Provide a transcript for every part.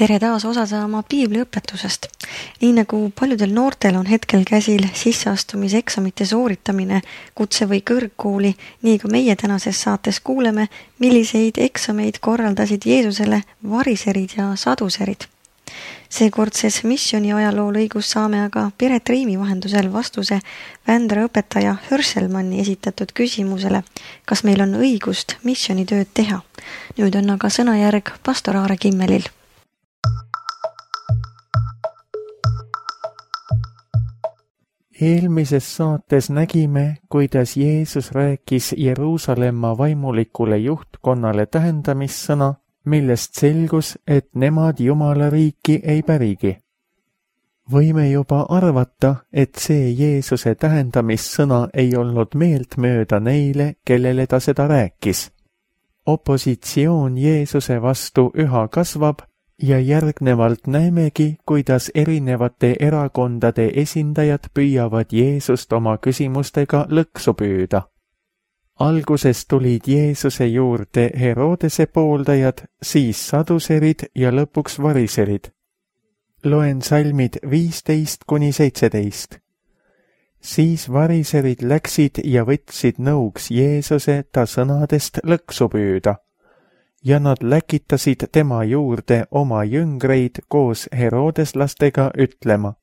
Tere taas osa saama piibliõpetusest. Nii nagu paljudel noortel on hetkel käsil sisseastumiseksamite sooritamine kutse- või kõrgkooli, nii ka meie tänases saates kuuleme, milliseid eksameid korraldasid Jeesusele variserid ja saduserid. Seekordses missiooni ajaloolõigus saame aga Piret Riimi vahendusel vastuse Vändra õpetaja Hörselmanni esitatud küsimusele, kas meil on õigust missioonitööd teha. Nüüd on aga sõnajärg pastor Aare Kimmelil. Eelmises saates nägime, kuidas Jeesus rääkis Jeruusalemma vaimulikule juhtkonnale tähendamissõna, millest selgus, et nemad Jumala riiki ei pärigi. Võime juba arvata, et see Jeesuse tähendamissõna ei olnud meeltmööda neile, kellele ta seda rääkis. Opositsioon Jeesuse vastu üha kasvab ja järgnevalt näemegi, kuidas erinevate erakondade esindajad püüavad Jeesust oma küsimustega lõksu püüda. Alguses tulid Jeesuse juurde Herodese pooldajad, siis saduserid ja lõpuks variserid. Loen salmid 15-17. Siis variserid läksid ja võtsid nõuks Jeesuse ta sõnadest lõksu püüda. Ja nad läkitasid tema juurde oma jüngreid koos Herodeslastega ütlema: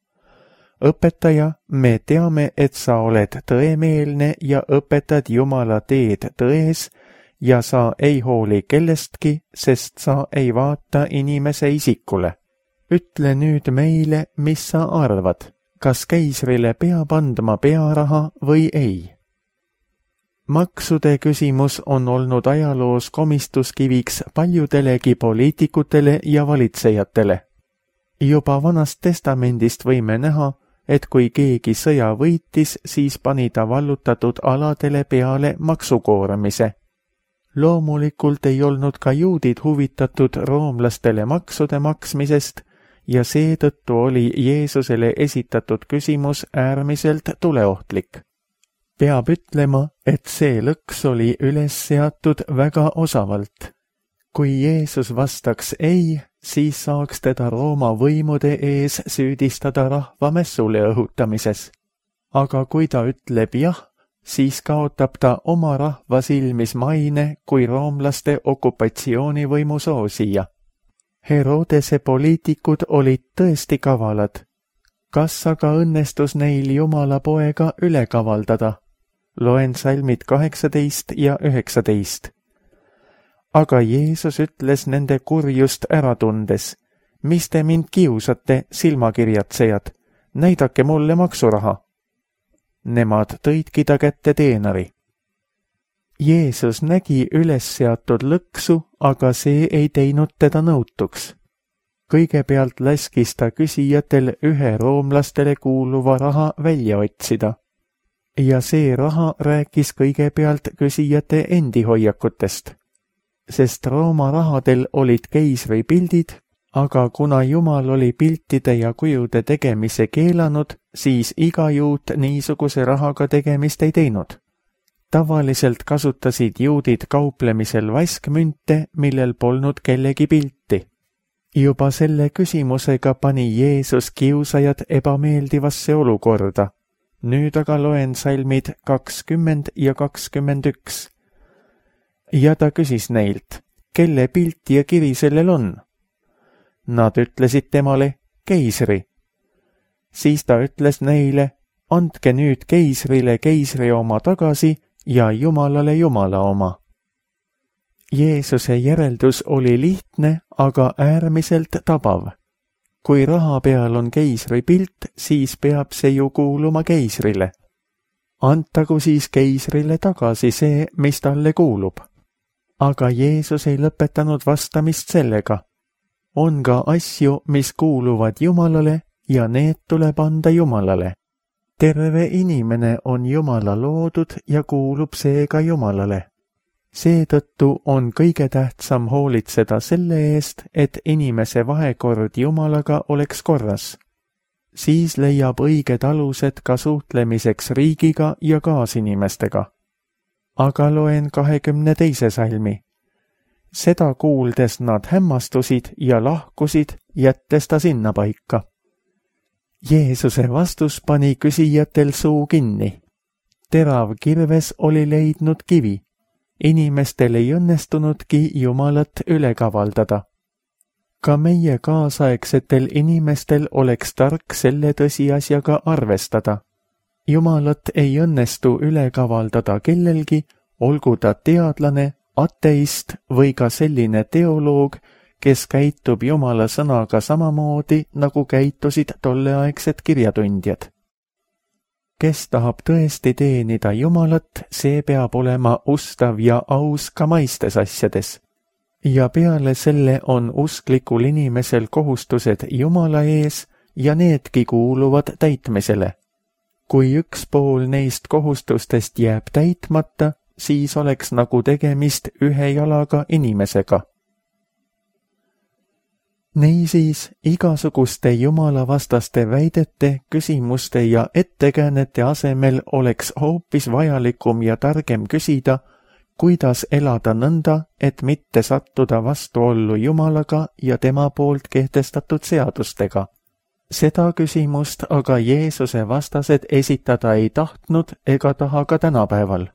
Õpetaja, me teame, et sa oled tõemeelne ja õpetad Jumala teed tões ja sa ei hooli kellestki, sest sa ei vaata inimese isikule. Ütle nüüd meile, mis sa arvad, kas keisrile peab andma pearaha või ei? Maksude küsimus on olnud ajaloos komistuskiviks paljudelegi poliitikutele ja valitsejatele. Juba Vanast Testamendist võime näha, et kui keegi sõja võitis, siis pani ta vallutatud aladele peale maksukoormise. Loomulikult ei olnud ka juudid huvitatud roomlastele maksude maksmisest ja seetõttu oli Jeesusele esitatud küsimus äärmiselt tuleohtlik. Peab ütlema, et see lõks oli üles seatud väga osavalt. Kui Jeesus vastaks ei, siis saaks teda Rooma võimude ees süüdistada rahva mässule õhutamises. Aga kui ta ütleb jah, siis kaotab ta oma rahva silmis maine kui roomlaste okupatsioonivõimu soosija. Herodese poliitikud olid tõesti kavalad. Kas aga õnnestus neil Jumala poega üle kavaldada? Loen salmid 18 ja 19. Aga Jeesus ütles nende kurjust ära tundes: mis te mind kiusate, silmakirjatsejad, näidake mulle maksuraha. Nemad tõidki ta kätte teenari. Jeesus nägi üles seatud lõksu, aga see ei teinud teda nõutuks. Kõigepealt laskis ta küsijatel ühe roomlastele kuuluva raha välja otsida. Ja see raha rääkis kõigepealt küsijate endi hoiakutest. Sest Rooma rahadel olid keisri pildid, aga kuna Jumal oli piltide ja kujude tegemise keelanud, siis iga juut niisuguse rahaga tegemist ei teinud. Tavaliselt kasutasid juudid kauplemisel vaskmünte, millel polnud kellegi pilti. Juba selle küsimusega pani Jeesus kiusajad ebameeldivasse olukorda. Nüüd aga loen salmid 20 ja 21. Ja ta küsis neilt, kelle pilt ja kiri sellel on? Nad ütlesid temale, keisri. Siis ta ütles neile, andke nüüd keisrile keisri oma tagasi ja Jumalale Jumala oma. Jeesuse järeldus oli lihtne, aga äärmiselt tabav. Kui raha peal on keisri pilt, siis peab see ju kuuluma keisrile. Antagu siis keisrile tagasi see, mis talle kuulub. Aga Jeesus ei lõpetanud vastamist sellega. On ka asju, mis kuuluvad Jumalale ja need tuleb anda Jumalale. Terve inimene on Jumala loodud ja kuulub seega Jumalale. Seetõttu on kõige tähtsam hoolitseda selle eest, et inimese vahekord Jumalaga oleks korras. Siis leiab õiged alused ka suhtlemiseks riigiga ja kaasinimestega. Aga loen 22. salmi. Seda kuuldes nad hämmastusid ja lahkusid, jättes ta sinnapaika. Jeesuse vastus pani küsijatel suu kinni. Terav kirves oli leidnud kivi. Inimestel ei õnnestunudki Jumalat üle kavaldada. Ka meie kaasaegsetel inimestel oleks tark selle tõsiasjaga arvestada. Jumalat ei õnnestu üle kavaldada kellelgi, olgu ta teadlane, ateist või ka selline teoloog, kes käitub Jumala sõnaga samamoodi, nagu käitusid tolleaegsed kirjatundjad. Kes tahab tõesti teenida Jumalat, see peab olema ustav ja aus ka maistes asjades. Ja peale selle on usklikul inimesel kohustused Jumala ees ja needki kuuluvad täitmisele. Kui üks pool neist kohustustest jääb täitmata, siis oleks nagu tegemist ühe jalaga inimesega. Niisiis, igasuguste jumalavastaste väidete, küsimuste ja ettekäänete asemel oleks hoopis vajalikum ja targem küsida, kuidas elada nõnda, et mitte sattuda vastuollu Jumalaga ja tema poolt kehtestatud seadustega. Seda küsimust aga Jeesuse vastased esitada ei tahtnud ega taha ka tänapäeval.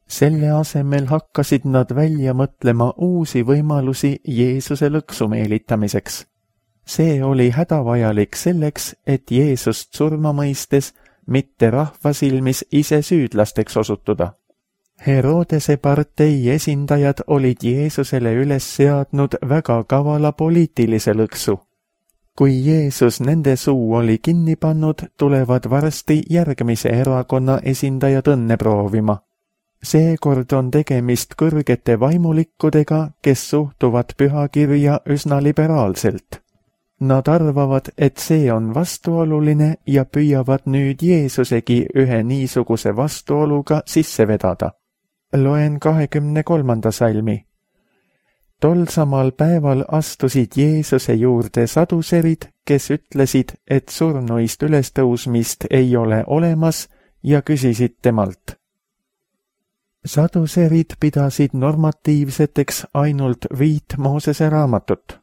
Selle asemel hakkasid nad välja mõtlema uusi võimalusi Jeesuse lõksu meelitamiseks. See oli hädavajalik selleks, et Jeesust surma mõistes mitte rahva silmis ise süüdlasteks osutuda. Herodese partei esindajad olid Jeesusele üles seadnud väga kavala poliitilise lõksu. Kui Jeesus nende suu oli kinni pannud, tulevad varsti järgmise erakonna esindajad õnne proovima. Seekord on tegemist kõrgete vaimulikkudega, kes suhtuvad pühakirja üsna liberaalselt. Nad arvavad, et see on vastuoluline ja püüavad nüüd Jeesusegi ühe niisuguse vastuoluga sisse vedada. Loen 23. salmi. Tol samal päeval astusid Jeesuse juurde saduserid, kes ütlesid, et surnuist ülestõusmist ei ole olemas ja küsisid temalt. Saduserid pidasid normatiivseteks ainult 5 Moosese raamatut.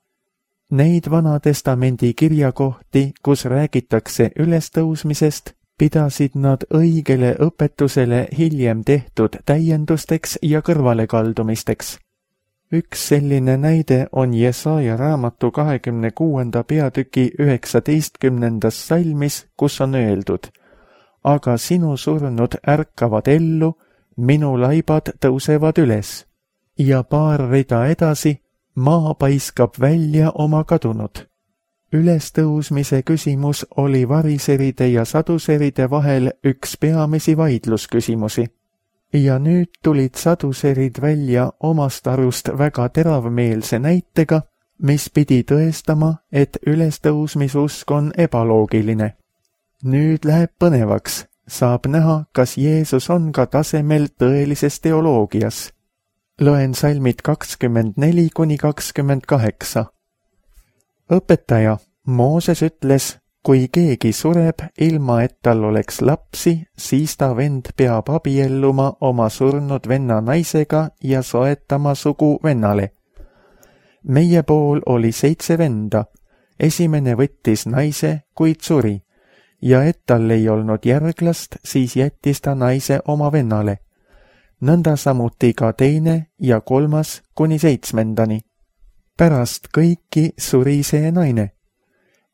Neid Vana-testamendi kirjakohti, kus räägitakse ülestõusmisest, pidasid nad õigele õpetusele hiljem tehtud täiendusteks ja kõrvalekaldumisteks. Üks selline näide on Jesaja raamatu 26. peatüki 19. salmis, kus on öeldud: Aga sinu surnud ärkavad ellu, minu laibad tõusevad üles. Ja paar rida edasi, maa paiskab välja oma kadunud. Ülestõusmise küsimus oli variseride ja saduseride vahel üks peamisi vaidlusküsimusi. Ja nüüd tulid saduserid välja omast arust väga teravmeelse näitega, mis pidi tõestama, et ülestõusmisusk on ebaloogiline. Nüüd läheb põnevaks. Saab näha, kas Jeesus on ka tasemel tõelises teoloogias. Loen salmid 24–28. Õpetaja, Mooses ütles, kui keegi sureb, ilma et tal oleks lapsi, siis ta vend peab abielluma oma surnud venna naisega ja soetama sugu vennale. Meie pool oli 7 venda, esimene võttis naise, kuid suri. Ja et tal ei olnud järglast, siis jättis ta naise oma vennale. Nõnda samuti ka teine ja 3. kuni 7. Pärast kõiki suri see naine.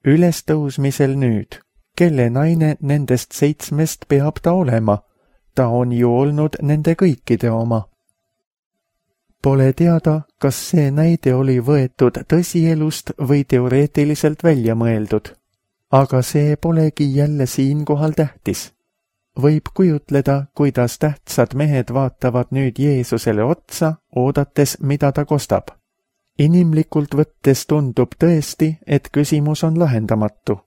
Ülestõusmisel nüüd, kelle naine nendest 7 peab ta olema? Ta on ju olnud nende kõikide oma. Pole teada, kas see näide oli võetud tõsielust või teoreetiliselt välja mõeldud. Aga see polegi jälle siinkohal tähtis. Võib kujutleda, kuidas tähtsad mehed vaatavad nüüd Jeesusele otsa, oodates, mida ta kostab. Inimlikult võttes tundub tõesti, et küsimus on lahendamatu.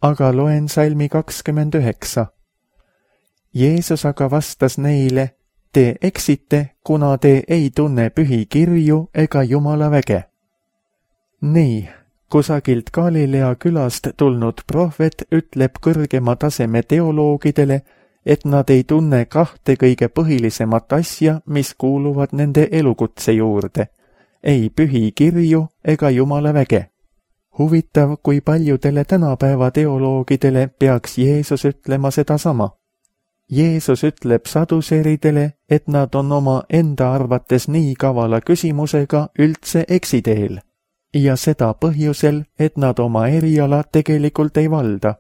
Aga loen salmi 29. Jeesus aga vastas neile, te eksite, kuna te ei tunne pühi kirju ega Jumala väge. Nii. Kusagilt Galilea külast tulnud prohvet ütleb kõrgema taseme teoloogidele, et nad ei tunne 2 kõige põhilisemat asja, mis kuuluvad nende elukutse juurde, ei pühi kirju ega Jumala väge. Huvitav, kui paljudele tänapäeva teoloogidele peaks Jeesus ütlema sedasama. Jeesus ütleb saduseeridele, et nad on oma enda arvates nii kavala küsimusega üldse eksiteel. Ja seda põhjusel, et nad oma eriala tegelikult ei valda.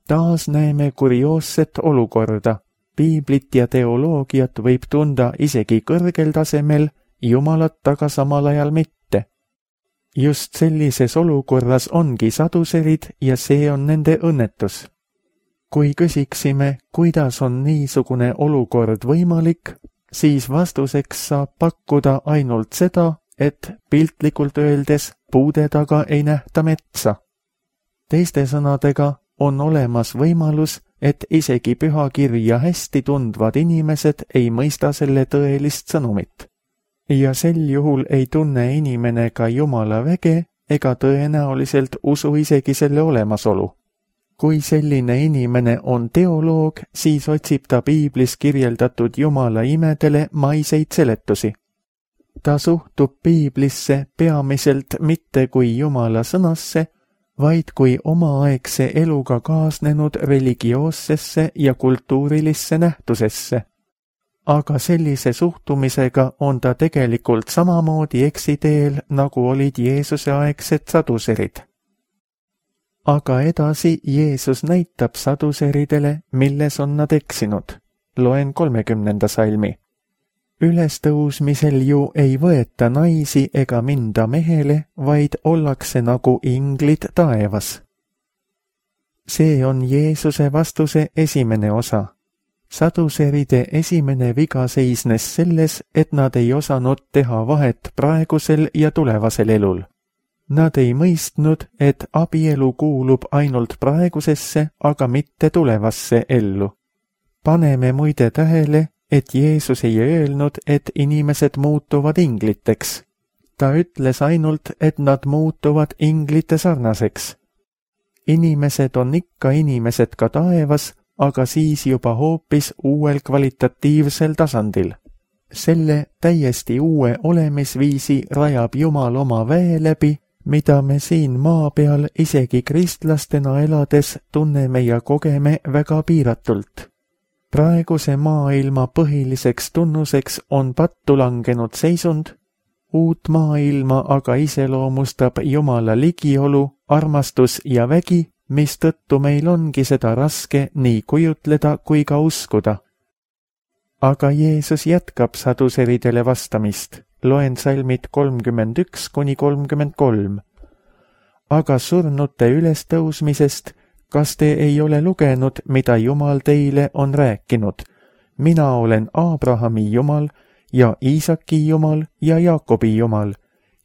Taas näeme kurioosset olukorda. Piiblit ja teoloogiat võib tunda isegi kõrgel tasemel, Jumalat aga samal ajal mitte. Just sellises olukorras ongi saduserid ja see on nende õnnetus. Kui küsiksime, kuidas on niisugune olukord võimalik, siis vastuseks saab pakkuda ainult seda, et piltlikult öeldes puude taga ei nähta metsa. Teiste sõnadega on olemas võimalus, et isegi pühakirja hästi tundvad inimesed ei mõista selle tõelist sõnumit. Ja sel juhul ei tunne inimene ka Jumala väge ega tõenäoliselt usu isegi selle olemasolu. Kui selline inimene on teoloog, siis otsib ta piiblis kirjeldatud Jumala imedele maiseid seletusi. Ta suhtub piiblisse peamiselt mitte kui Jumala sõnasse, vaid kui omaaegse eluga kaasnenud religioossesse ja kultuurilisse nähtusesse. Aga sellise suhtumisega on ta tegelikult samamoodi eksiteel, nagu olid Jeesuse aegsed saduserid. Aga edasi Jeesus näitab saduseridele, milles on nad eksinud. Loen 30. salmi. Ülestõusmisel ju ei võeta naisi ega minda mehele, vaid ollakse nagu inglid taevas. See on Jeesuse vastuse esimene osa. Saduseride esimene viga seisnes selles, et nad ei osanud teha vahet praegusel ja tulevasel elul. Nad ei mõistnud, et abielu kuulub ainult praegusesse, aga mitte tulevasse ellu. Paneme muide tähele, et Jeesus ei öelnud, et inimesed muutuvad ingliteks. Ta ütles ainult, et nad muutuvad inglite sarnaseks. Inimesed on ikka inimesed ka taevas, aga siis juba hoopis uuel kvalitatiivsel tasandil. Selle täiesti uue olemisviisi rajab Jumal oma väe läbi, mida me siin maa peal isegi kristlastena elades tunneme ja kogeme väga piiratult. Praeguse maailma põhiliseks tunnuseks on pattu langenud seisund, uut maailma aga iseloomustab Jumala ligiolu, armastus ja vägi, mistõttu meil ongi seda raske nii kujutleda kui ka uskuda. Aga Jeesus jätkab saduseridele vastamist. Loen salmid 31–33. Aga surnute ülestõusmisest, kas te ei ole lugenud, mida Jumal teile on rääkinud? Mina olen Abrahami Jumal ja Iisaki Jumal ja Jaakobi Jumal.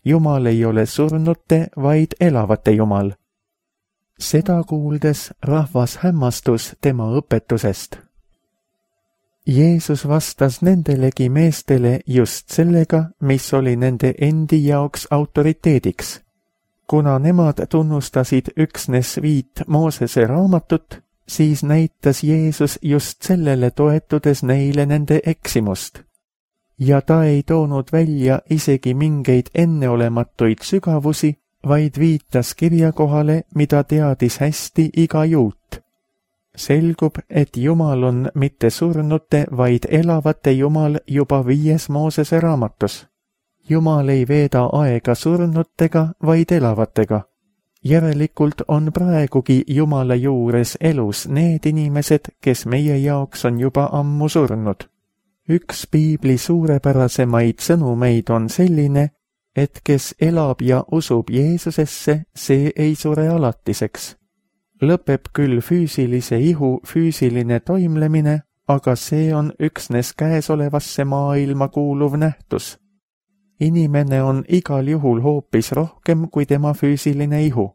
Jumal ei ole surnute, vaid elavate Jumal. Seda kuuldes rahvas hämmastus tema õpetusest. Jeesus vastas nendelegi meestele just sellega, mis oli nende endi jaoks autoriteediks. Kuna nemad tunnustasid üksnes 5 Moosese raamatut, siis näitas Jeesus just sellele toetudes neile nende eksimust. Ja ta ei toonud välja isegi mingeid enneolematuid sügavusi, vaid viitas kirjakohale, mida teadis hästi iga juut. Selgub, et Jumal on mitte surnute, vaid elavate Jumal juba 5 Moosese raamatus. Jumal ei veeda aega surnutega, vaid elavatega. Järelikult on praegugi Jumala juures elus need inimesed, kes meie jaoks on juba ammu surnud. Üks piibli suurepärasemaid sõnumeid on selline, et kes elab ja usub Jeesusesse, see ei sure alatiseks. Lõpeb küll füüsilise ihu füüsiline toimlemine, aga see on üksnes käesolevasse maailma kuuluv nähtus. Inimene on igal juhul hoopis rohkem kui tema füüsiline ihu.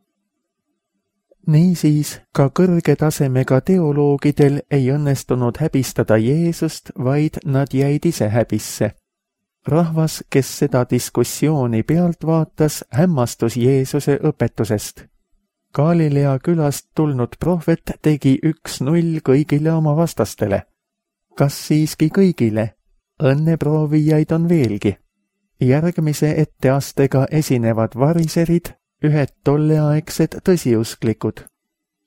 Niisiis, ka kõrge tasemega teoloogidel ei õnnestunud häbistada Jeesust, vaid nad jäid ise häbisse. Rahvas, kes seda diskussiooni pealt vaatas, hämmastus Jeesuse õpetusest. Galilea külast tulnud prohvet tegi 1-0 kõigile oma vastastele. Kas siiski kõigile? Õnneproovijaid on veelgi. Järgmise etteastega esinevad variserid, ühed tolleaegsed tõsiusklikud.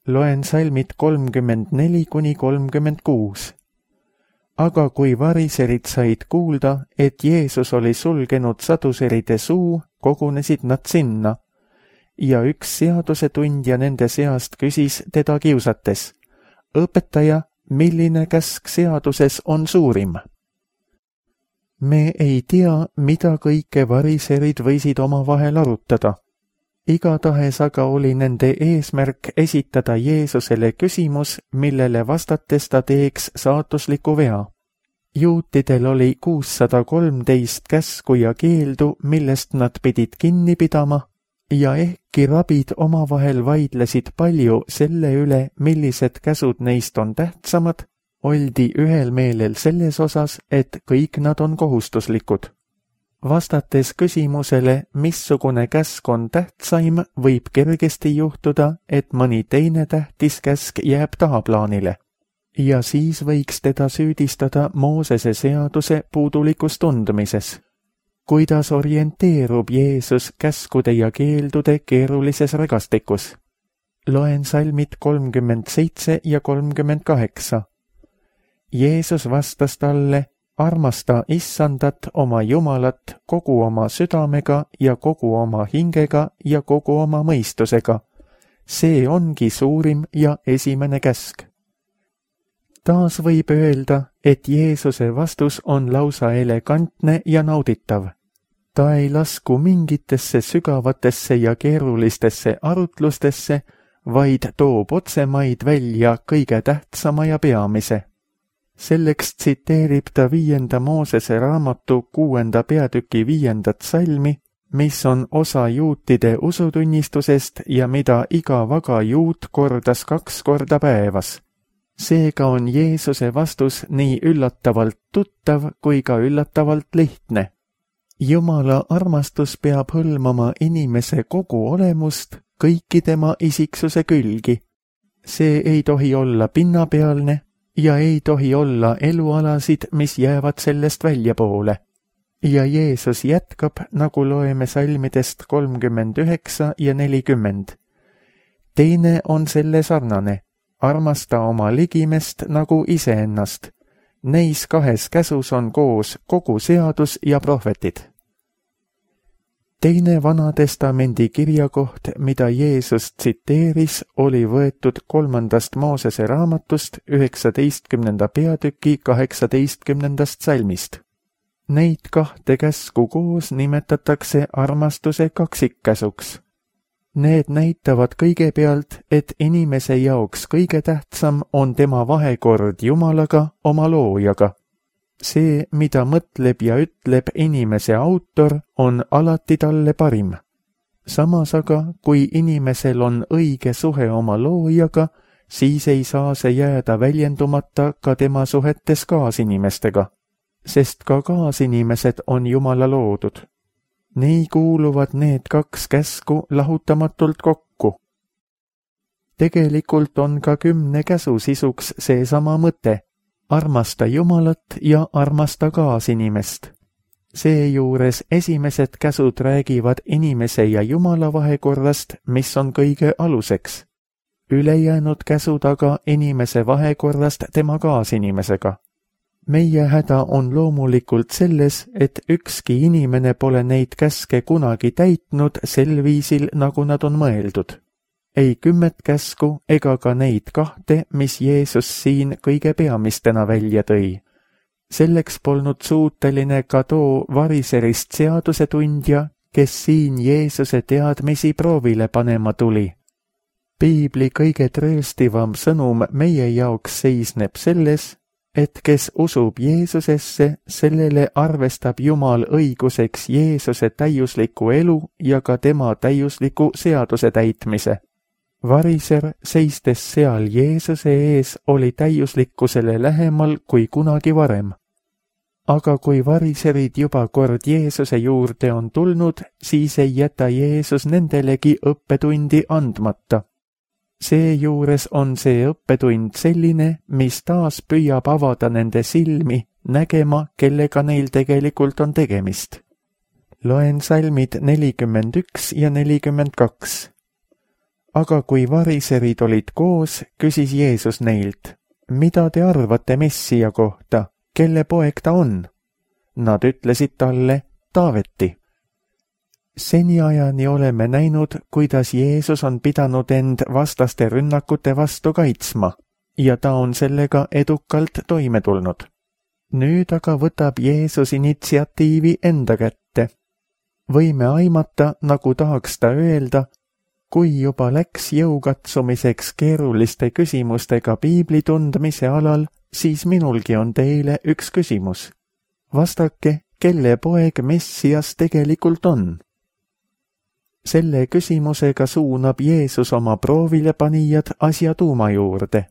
Loen salmid 34–36. Aga kui variserid said kuulda, et Jeesus oli sulgenud saduseride suu, kogunesid nad sinna. Ja üks seadusetundja nende seast küsis teda kiusates: õpetaja, milline käsk seaduses on suurim? Me ei tea, mida kõike variserid võisid omavahel arutada. Igatahes aga oli nende eesmärk esitada Jeesusele küsimus, millele vastates ta teeks saatusliku vea. Juutidel oli 613 käsku ja keeldu, millest nad pidid kinni pidama, ja ehkki rabid omavahel vaidlesid palju selle üle, millised käsud neist on tähtsamad, oldi ühel meelel selles osas, et kõik nad on kohustuslikud. Vastates küsimusele, missugune käsk on tähtsaim, võib kergesti juhtuda, et mõni teine tähtis käsk jääb tahaplaanile. Ja siis võiks teda süüdistada Moosese seaduse puudulikus tundmises. Kuidas orienteerub Jeesus käskude ja keeldude keerulises regastikus? Loen salmid 37 ja 38. Jeesus vastas talle: armasta Issandat oma Jumalat kogu oma südamega ja kogu oma hingega ja kogu oma mõistusega. See ongi suurim ja esimene käsk. Taas võib öelda, et Jeesuse vastus on lausa elegantne ja nauditav. Ta ei lasku mingitesse sügavatesse ja keerulistesse arutlustesse, vaid toob otsemaid välja kõige tähtsama ja peamise. Selleks tsiteerib ta 5. Moosese raamatu 6. peatüki 5. salmi, mis on osa juutide usutunnistusest ja mida iga vaga juut kordas 2 korda päevas. Seega on Jeesuse vastus nii üllatavalt tuttav kui ka üllatavalt lihtne. Jumala armastus peab hõlmama inimese kogu olemust, kõiki tema isiksuse külgi. See ei tohi olla pinnapealne ja ei tohi olla elualasid, mis jäävad sellest väljapoole. Ja Jeesus jätkab, nagu loeme salmidest 39 ja 40. Teine on selle sarnane: armasta oma ligimest nagu iseennast. Neis 2 käsus on koos kogu seadus ja prohvetid. Teine Vana Testamendi kirjakoht, mida Jeesus tsiteeris, oli võetud 3. Moosese raamatust 19. peatüki 18. salmist. Neid 2 käsku koos nimetatakse armastuse kaksikkäsuks. Need näitavad kõigepealt, et inimese jaoks kõige tähtsam on tema vahekord Jumalaga, oma loojaga. See, mida mõtleb ja ütleb inimese autor, on alati talle parim. Samas aga, kui inimesel on õige suhe oma loojaga, siis ei saa see jääda väljendumata ka tema suhetes kaasinimestega, sest ka kaasinimesed on Jumala loodud. Nii kuuluvad need 2 käsku lahutamatult kokku. Tegelikult on ka 10 käsu sisuks seesama mõte: armasta Jumalat ja armasta kaasinimest. Seejuures esimesed käsud räägivad inimese ja Jumala vahekorrast, mis on kõige aluseks. Ülejäänud käsud aga inimese vahekorrast tema kaasinimesega. Meie häda on loomulikult selles, et ükski inimene pole neid käske kunagi täitnud sel viisil, nagu nad on mõeldud. Ei 10 käsku ega ka neid 2, mis Jeesus siin kõige peamistena välja tõi. Selleks polnud suuteline ka too variserist seadusetundja, kes siin Jeesuse teadmisi proovile panema tuli. Piibli kõige trööstivam sõnum meie jaoks seisneb selles, et kes usub Jeesusesse, sellele arvestab Jumal õiguseks Jeesuse täiusliku elu ja ka tema täiusliku seaduse täitmise. Variser, seistes seal Jeesuse ees, oli täiuslikkusele lähemal kui kunagi varem. Aga kui variserid juba kord Jeesuse juurde on tulnud, siis ei jäta Jeesus nendelegi õppetundi andmata. Seejuures on see õppetund selline, mis taas püüab avada nende silmi, nägema, kellega neil tegelikult on tegemist. Loen salmid 41 ja 42. Aga kui variserid olid koos, küsis Jeesus neilt, mida te arvate Messia kohta, kelle poeg ta on? Nad ütlesid talle, Taaveti. Seniajani oleme näinud, kuidas Jeesus on pidanud end vastaste rünnakute vastu kaitsma ja ta on sellega edukalt toime tulnud. Nüüd aga võtab Jeesus initsiatiivi enda kätte. Võime aimata, nagu tahaks ta öelda, kui juba läks jõukatsumiseks keeruliste küsimustega piibli tundmise alal, siis minulgi on teile üks küsimus. Vastake, kelle poeg Messias tegelikult on? Selle küsimusega suunab Jeesus oma proovilepanijad asja tuuma juurde.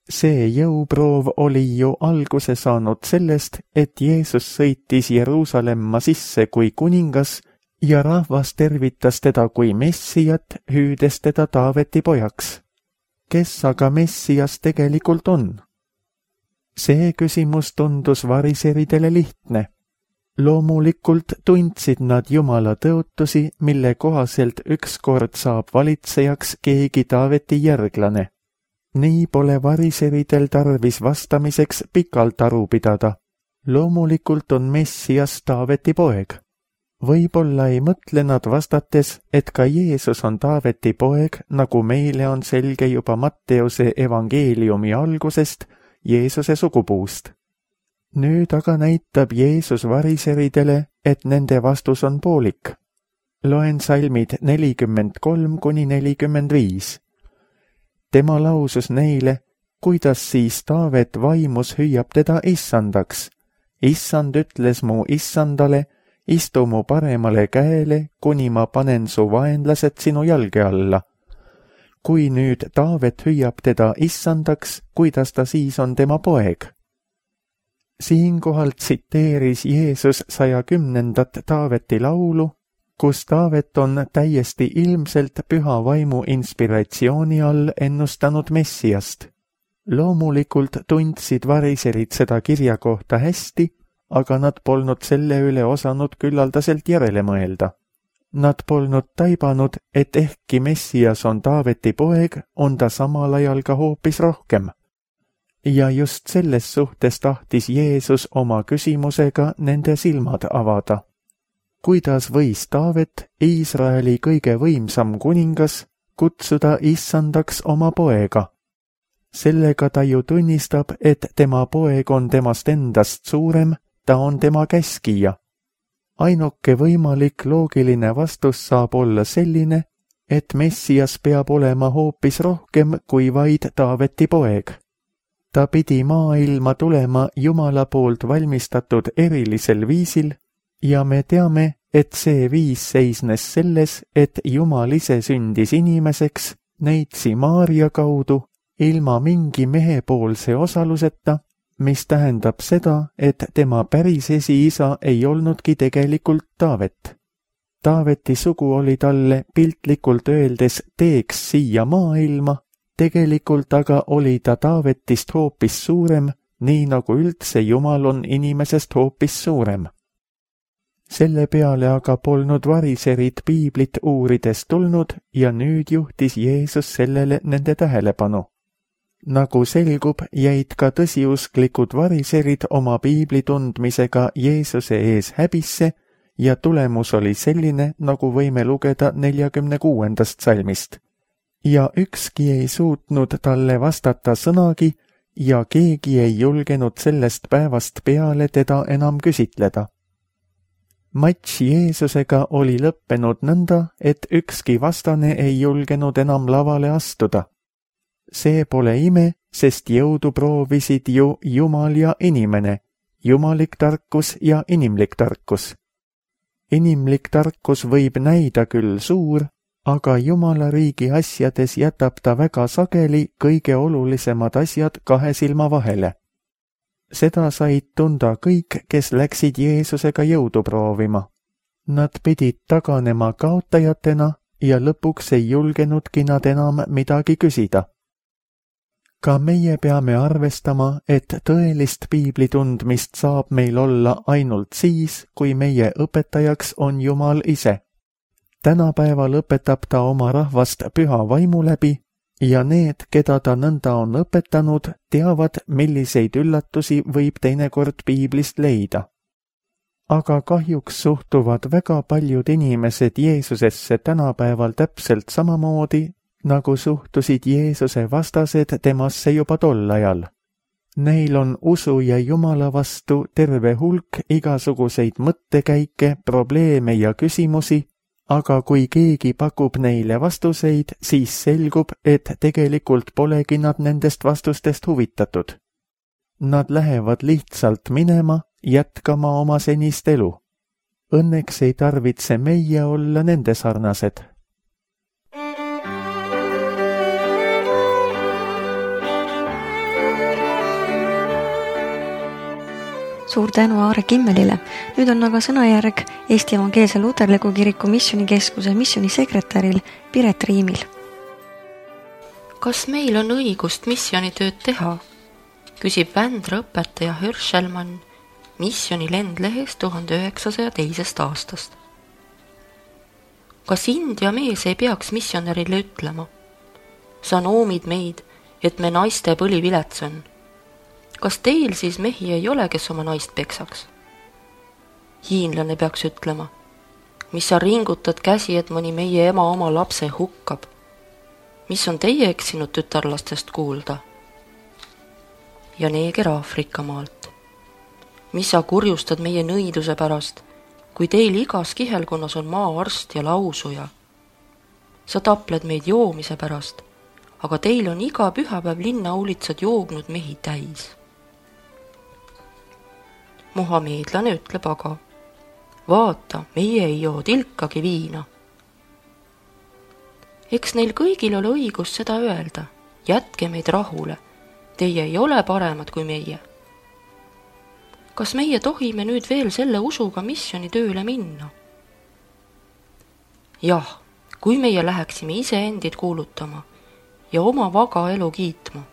See jõuproov oli ju alguse saanud sellest, et Jeesus sõitis Jeruusalemma sisse kui kuningas ja rahvas tervitas teda kui Messiat, hüüdes teda Taaveti pojaks. Kes aga Messias tegelikult on? See küsimus tundus variseridele lihtne. Loomulikult tundsid nad Jumala tõotusi, mille kohaselt ükskord saab valitsejaks keegi Taaveti järglane. Nii pole variseridel tarvis vastamiseks pikalt aru pidada. Loomulikult on Messias Taaveti poeg. Võib-olla ei mõtle nad vastates, et ka Jeesus on Taaveti poeg, nagu meile on selge juba Matteuse evangeeliumi algusest, Jeesuse sugupuust. Nüüd aga näitab Jeesus variseridele, et nende vastus on poolik. Loen salmid 43 kuni 45. Tema lausus neile, kuidas siis Taavet vaimus hüüab teda issandaks. Issand ütles mu issandale, istu mu paremale käele, kuni ma panen su vaenlased sinu jalge alla. Kui nüüd Taavet hüüab teda issandaks, kuidas ta siis on tema poeg? Siinkohal tsiteeris Jeesus 110. Taaveti laulu, kus Taavet on täiesti ilmselt püha vaimu inspiratsiooni all ennustanud Messiast. Loomulikult tundsid variserid seda kirja kohta hästi, aga nad polnud selle üle osanud küllaldaselt järele mõelda. Nad polnud taibanud, et ehkki Messias on Taaveti poeg, on ta samal ajal ka hoopis rohkem. Ja just selles suhtes tahtis Jeesus oma küsimusega nende silmad avada. Kuidas võis Taavet, Iisraeli kõige võimsam kuningas, kutsuda issandaks oma poega? Sellega ta ju tunnistab, et tema poeg on temast endast suurem, ta on tema käskija. Ainuke võimalik loogiline vastus saab olla selline, et Messias peab olema hoopis rohkem kui vaid Taaveti poeg. Ta pidi maailma tulema Jumala poolt valmistatud erilisel viisil ja me teame, et see viis seisnes selles, et Jumal ise sündis inimeseks, neitsi Maaria kaudu, ilma mingi mehepoolse osaluseta, mis tähendab seda, et tema päris esiisa ei olnudki tegelikult Taavet. Taaveti sugu oli talle piltlikult öeldes teeks siia maailma, tegelikult aga oli ta Taavetist hoopis suurem, nii nagu üldse Jumal on inimesest hoopis suurem. Selle peale aga polnud variserid piiblit uurides tulnud ja nüüd juhtis Jeesus sellele nende tähelepanu. Nagu selgub, jäid ka tõsiusklikud variserid oma piibli tundmisega Jeesuse ees häbisse ja tulemus oli selline, nagu võime lugeda 46. salmist. Ja ükski ei suutnud talle vastata sõnagi ja keegi ei julgenud sellest päevast peale teda enam küsitleda. Matš Jeesusega oli lõppenud nõnda, et ükski vastane ei julgenud enam lavale astuda. See pole ime, sest jõudu proovisid ju Jumal ja inimene, jumalik tarkus ja inimlik tarkus. Inimlik tarkus võib näida küll suur, aga Jumala riigi asjades jätab ta väga sageli kõige olulisemad asjad kahe silma vahele. Seda said tunda kõik, kes läksid Jeesusega jõudu proovima. Nad pidid taganema kaotajatena ja lõpuks ei julgenudki nad enam midagi küsida. Ka meie peame arvestama, et tõelist piibli tundmist saab meil olla ainult siis, kui meie õpetajaks on Jumal ise. Tänapäeval õpetab ta oma rahvast püha vaimu läbi ja need, keda ta nõnda on õpetanud, teavad, milliseid üllatusi võib teinekord piiblist leida. Aga kahjuks suhtuvad väga paljud inimesed Jeesusesse tänapäeval täpselt samamoodi, nagu suhtusid Jeesuse vastased temasse juba tol ajal. Neil on usu ja Jumala vastu terve hulk igasuguseid mõttekäike, probleeme ja küsimusi, aga kui keegi pakub neile vastuseid, siis selgub, et tegelikult polegi nad nendest vastustest huvitatud. Nad lähevad lihtsalt minema, jätkama oma senist elu. Õnneks ei tarvitse meie olla nende sarnased. Suur tänu Aare Kimmelile. Nüüd on aga sõnajärg Eesti Evangeelse Luterliku Kiriku Missioonikeskuse missionisekretäril Piret Riimil. Kas meil on õigust missionitööd teha? Küsib Vändra õpetaja Hirschelmann Missiooni lendlehes 1902. aastast. Kas India mees ei peaks missionärile ütlema? Sa noomid meid, et me naiste põlivilets on. Kas teil siis mehi ei ole, kes oma naist peksaks? Hiinlane peaks ütlema, mis sa ringutad käsi, et mõni meie ema oma lapse hukkab. Mis on teie eksinud tütarlastest kuulda? Ja neeger Aafrika maalt. Mis sa kurjustad meie nõiduse pärast, kui teil igas kihelkonnas on maaarst ja lausuja? Sa tapled meid joomise pärast, aga teil on iga pühapäev linnaulitsad joognud mehi täis. Muhameedlane ütleb aga, vaata, meie ei joo tilkagi viina. Eks neil kõigil ole õigus seda öelda, jätke meid rahule, teie ei ole paremad kui meie. Kas meie tohime nüüd veel selle usuga missionitööle minna? Jah, kui meie läheksime iseendid kuulutama ja oma vaga elu kiitma,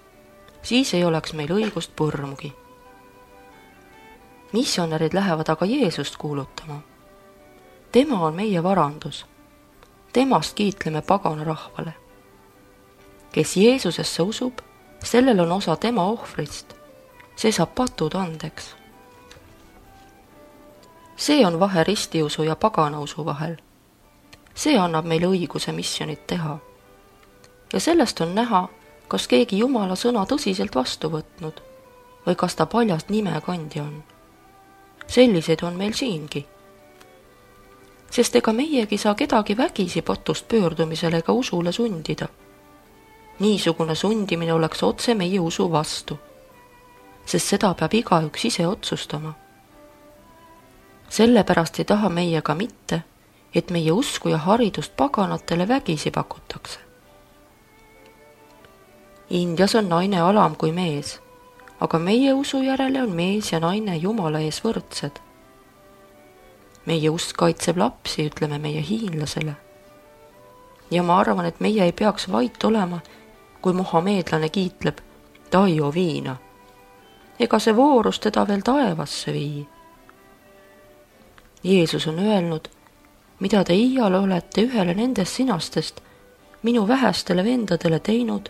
siis ei oleks meil õigust põrmugi. Missionärid lähevad aga Jeesust kuulutama. Tema on meie varandus. Temast kiitleme pagana rahvale. Kes Jeesusesse usub, sellel on osa tema ohvrist. See saab patud andeks. See on vahe ristiusu ja paganausu vahel. See annab meile õiguse missionit teha. Ja sellest on näha, kas keegi Jumala sõna tõsiselt vastu võtnud või kas ta paljast nimekandja on. Selliseid on meil siingi. Sest ega meiegi saa kedagi vägisi patust pöördumisele ega usule sundida. Niisugune sundimine oleks otse meie usu vastu, sest seda peab igaüks ise otsustama. Sellepärast ei taha meie ka mitte, et meie usku ja haridust paganatele vägisi pakutakse. Indias on naine alam kui mees, aga meie usu järele on mees ja naine Jumala ees võrdsed. Meie usk kaitseb lapsi, ütleme meie hiinlasele. Ja ma arvan, et meie ei peaks vait olema, kui muhameedlane kiitleb, ta ei joo viina. Ega see voorus teda veel taevasse vii. Jeesus on öelnud, mida te iial olete ühele nendest sinastest minu vähestele vendadele teinud,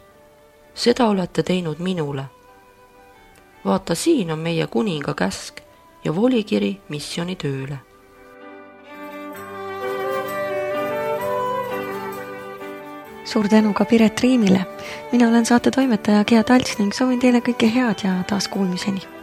seda olete teinud minule. Vaata, siin on meie kuninga käsk ja volikiri missionitööle. Suur tänu ka Piret Riimile. Mina olen saate toimetaja Gea Talts ning soovin teile kõike head ja taas kuulmiseni.